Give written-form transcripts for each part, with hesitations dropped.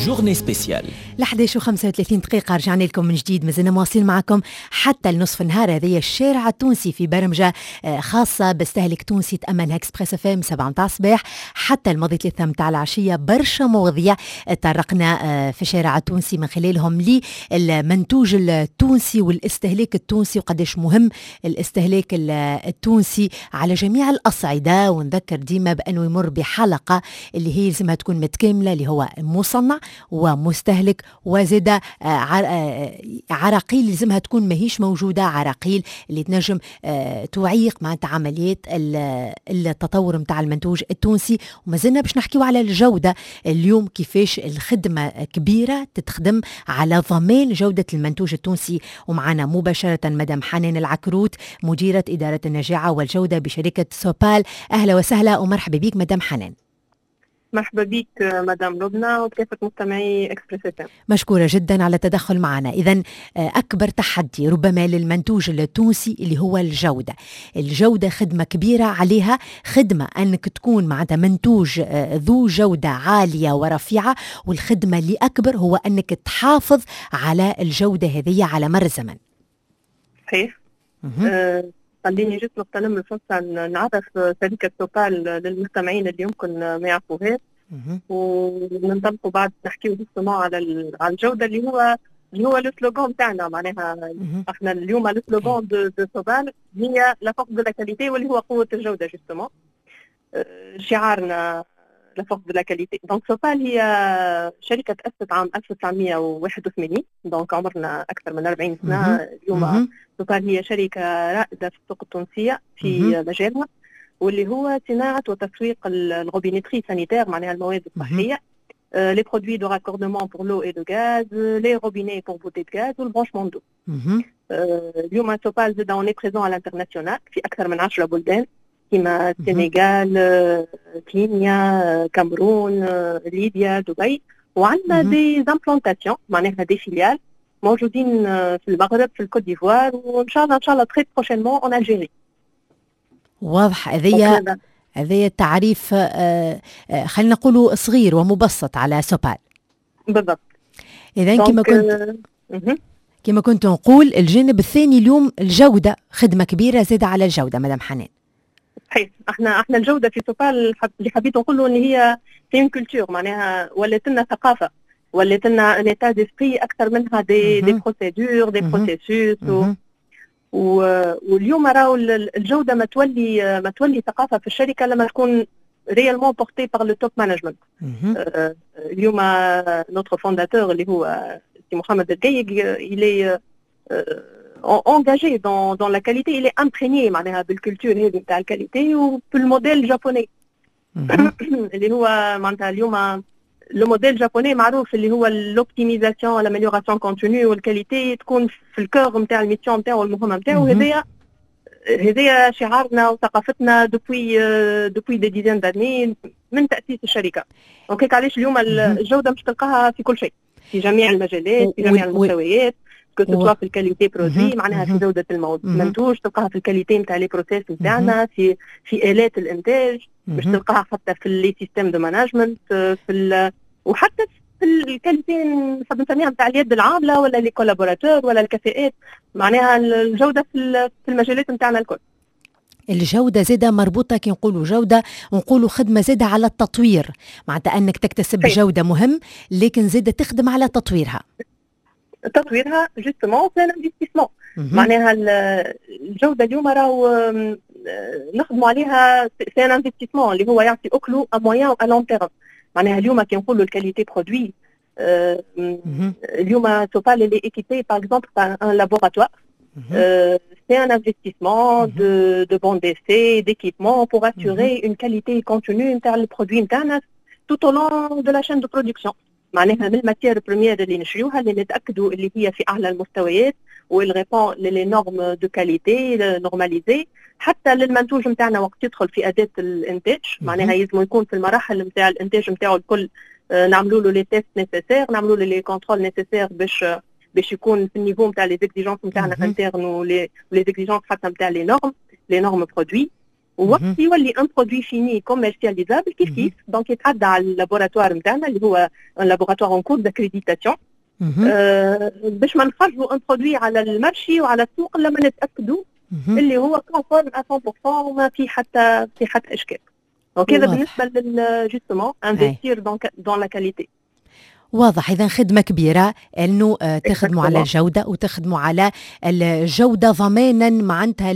journée spéciale. ل 11 و35 دقيقة رجعنا لكم من جديد، مازلنا مواصلين معكم حتى لنصف النهار. هذه الشارع التونسي في برمجة خاصة بستهلك تونسي تأمنها Express FM 7 متاع الصباح حتى الماضي 3 متاع العشية. برشا مواضيع تطرقنا في الشارع التونسي من خلالهم للمنتوج التونسي والاستهلاك التونسي، وقداش مهم الاستهلاك التونسي على جميع الأصعدة. ونذكر ديما بأنه يمر بحلقة اللي هي لازمها تكون متكاملة، اللي هو مصنع ومستهلك، وزاد عراقيل لازمها تكون ماهيش موجودة، عراقيل اللي تنجم تعيق معناتها عمليات التطور نتاع المنتوج التونسي. وما زلنا باش نحكيو على الجودة اليوم، كيفاش الخدمة كبيرة تتخدم على ضمان جودة المنتوج التونسي. ومعنا مباشرة مدام حنان العكروت، مديرة إدارة النجاعة والجودة بشركة سوبال. أهلا وسهلا ومرحبا بك مدام حنان. مرحبا بك مدام لبنى وكافة مستمعي Express FM. مشكورة جدا على التدخل معنا. إذا أكبر تحدي ربما للمنتوج التونسي اللي هو الجودة. الجودة خدمة كبيرة عليها، خدمة أنك تكون معناتها منتوج ذو جودة عالية ورفيعة، والخدمة اللي أكبر هو أنك تحافظ على الجودة هذه على مر الزمن. صحيح. خليني juste نغتنم الفرصة نعرف شركة سوبال للمستمعين اللي يمكن ما يعرفوهاش، وننطلقوا بعد نحكيو justement على الجودة اللي هو le slogan تاعنا. معناها احنا اليوم le slogan de سوبال هي la force de la qualité، واللي هو قوة الجودة justement، شعارنا la force de la qualité. donc سوبال هي شركة تأسست عام 1981، donc عمرنا أكثر من 40 سنة. اليوم سوبال هي شركة رائدة في السوق التونسية في مجالها، واللي هو صناعة وتسويق ال robinetterie sanitaire، معناها المواد الصحية، les produits de raccordement pour l'eau et le gaz, les robinets pour bouteilles de gaz وال branchement d'eau. اليوم سوبال زاد on est présent à l'international في أكثر من 10 بلدان كيما السنغال، كينيا، كامرون، ليبيا، دبي، وعندنا des implantations، معناها des filiales موجودين في المغرب، في الكوت ديفوار، وان شاء الله ان شاء الله très prochainement en Algérie. واضح، هذايا تعريف خلينا نقولوا صغير ومبسط على سوبال. بالضبط. اذا كما كنت نقول، الجانب الثاني اليوم الجوده، خدمة كبيرة زادة على الجودة مدام حنان. صحيح، احنا الجودة في سوبال اللي حبيت نقوله ان هي c'est une culture، معناها ولات لنا ثقافه، ولات لنا un état d'esprit اكثر منها des procédures، des processus. واليوم راهو الجودة ما تولي ثقافة في الشركة لما تكون réellement portée par le top management. اليوم notre fondateur اللي هو سي محمد الرقيق، il est engagé dans la qualité، il est imprégné معناها بال culture هذه نتاع ال qualité وبال modèle japonais، اللي هو معناتها اليوم le modèle japonais معروف، اللي هو l'optimisation، l'amélioration continue، وال qualité تكون في ال cœur نتاع ال mission نتاعو والمهمه نتاعو. هذايا شعارنا وثقافتنا depuis des dizaines d'années من تاسيس الشركه. donc علاش اليوم الجودة مش تلقاها في كل شيء، في جميع المجالات، في جميع المستويات، que ce soit في ال qualité produit، معناها في جوده المنتوج، تلقاها في ال qualité نتاع les process نتاعنا، في الات الانتاج، مش تلقاها حتى في les systèmes de management، وحتى في ال qualité نحب نسميها نتاع اليد العاملة ولا les collaborateurs ولا الكفاءات. معناها الجودة في المجالات نتاعنا الكل. الجودة زادة مربوطة، كي نقولوا جودة نقولوا خدمة زادة على التطوير، معناتها أنك تكتسب جودة مهم، لكن زادة تخدم على تطويرها. تطويرها justement c'est un investissement. معناها الجودة اليوم راهو نخدموا عليها، c'est un investissement اللي هو يعطي اكلو à moyen و long terme. معناها اليوم كي نقولوا ال qualité produit، اليوم سوبال elle est équipée par exemple par un laboratoire. C'est un investissement de bancs d'essai, d'équipement pour assurer une qualité continue نتاع ال produit نتاعنا tout au long de la chaîne de production. معناها من ال matière première اللي نشريوها، اللي نتاكدوا اللي هي في اعلى المستويات و elle répond les normes de qualité normalisées، حتى للمنتوج نتاعنا وقت يدخل في اداه الانتاج. معناها يلزم يكون في المراحل نتاع الانتاج نتاعو الكل نعملوا له les tests nécessaires، نعملوا له les contrôles nécessaires باش يكون في ال niveau نتاع les exigences نتاعنا internes و les exigences حتى نتاع les normes produits. ووقت يولي un produit fini commercialisable، كيف كيف donc يتعدى على ال laboratoire نتاعنا اللي هو un laboratoire en cours d'accréditation، باش ما نخرجوا un produit على ال marché وعلى السوق لما نتاكدوا اللي هو conforme 100% وما في حتى اشكال. donc هذا بالنسبة لل justement investir dans la qualité. واضح. اذا خدمة كبيرة انه تخدموا على الجودة وتخدموا على الجودة ضمانا معناتها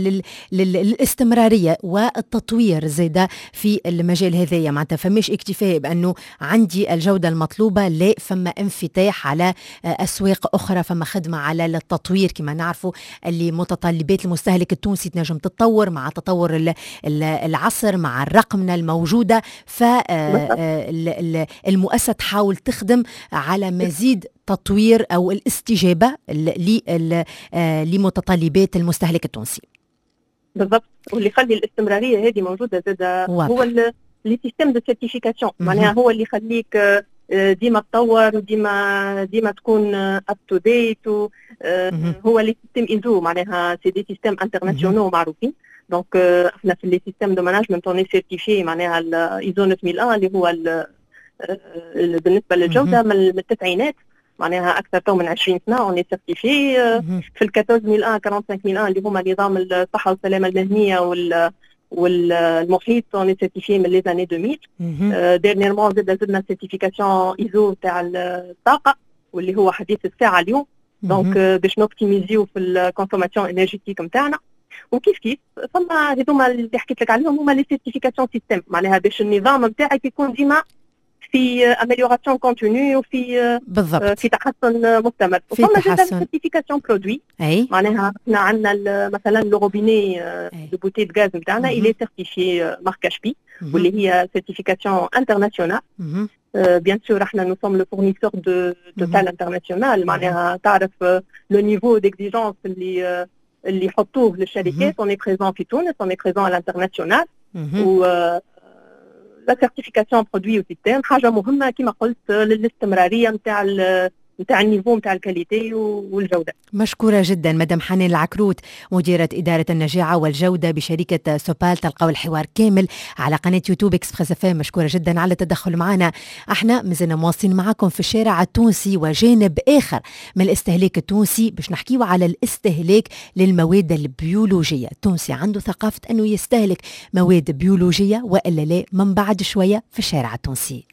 للاستمراريه والتطوير زاده في المجال هذايا. معناتها فماش اكتفاء بانه عندي الجودة المطلوبه، لا، فما انفتاح على اسواق اخرى، فما خدمة على التطوير. كما نعرفوا اللي متطلبات المستهلك التونسي تنجم تتطور مع تطور العصر، مع الرقمنه الموجوده، فالمؤسسه تحاول تخدم على مزيد تطوير او الاستجابة لمتطلبات المستهلك التونسي. بالضبط، واللي يخلي الاستمرارية هذه موجودة زاد هو les systèmes de certification، معناها هو اللي يخليك ديما تطور وديما ديما تكون up to date. هو les systèmes ISO، معناها c'est des systèmes internationaux معروفين. donc احنا في les systèmes de management on est certifié، معناها الايزو 9001 اللي هو بالنسبة للجودة من التسعينات، معناها اكثر تو من 20 سنة on est certifié في ال 14001، 45001 اللي هما نظام الصحة والسلامة المهنية والمحيط، on est certifié من les années 2000. dernièrement زدنا certification ISO تاع الطاقه، واللي هو حديث الساعة اليوم، donc باش ن optimiser يو في ال consommation énergétique نتاعنا. وكيف كيف فما هذوما اللي حكيت لك عليهم هما les certifications système، معناها باش النظام نتاعك يكون ديما في amélioration continue وفي في تحسن مستمر. في وفما زاد certification produit. معناها احنا عندنا مثلا le robinet de bouteille de gaz نتاعنا il est certifié marque HP، واللي هي certification internationale. bien sûr احنا nous sommes le fournisseur de Total International، معناها تعرف le niveau d'exigence اللي يحطوه للشركات. on est présent في تونس، on est présent à l'international، و la certification produit و système حاجة مهمة كما قلت للاستمراريه نتاع ال niveau نتاع ال qualité والجوده. مشكورة جدا مدام حنان العكروت، مديرة إدارة النجاعة والجودة بشركة سوبال. تلقاو الحوار كامل على قناة يوتيوب Express FM. مشكورة جدا على التدخل معنا. احنا مازلنا مواصلين معكم في الشارع التونسي وجانب آخر من الاستهلاك التونسي، باش نحكيو على الاستهلاك للمواد البيولوجية. التونسي عنده ثقافة أنه يستهلك مواد بيولوجية وإلا لا؟ من بعد شوية في الشارع التونسي.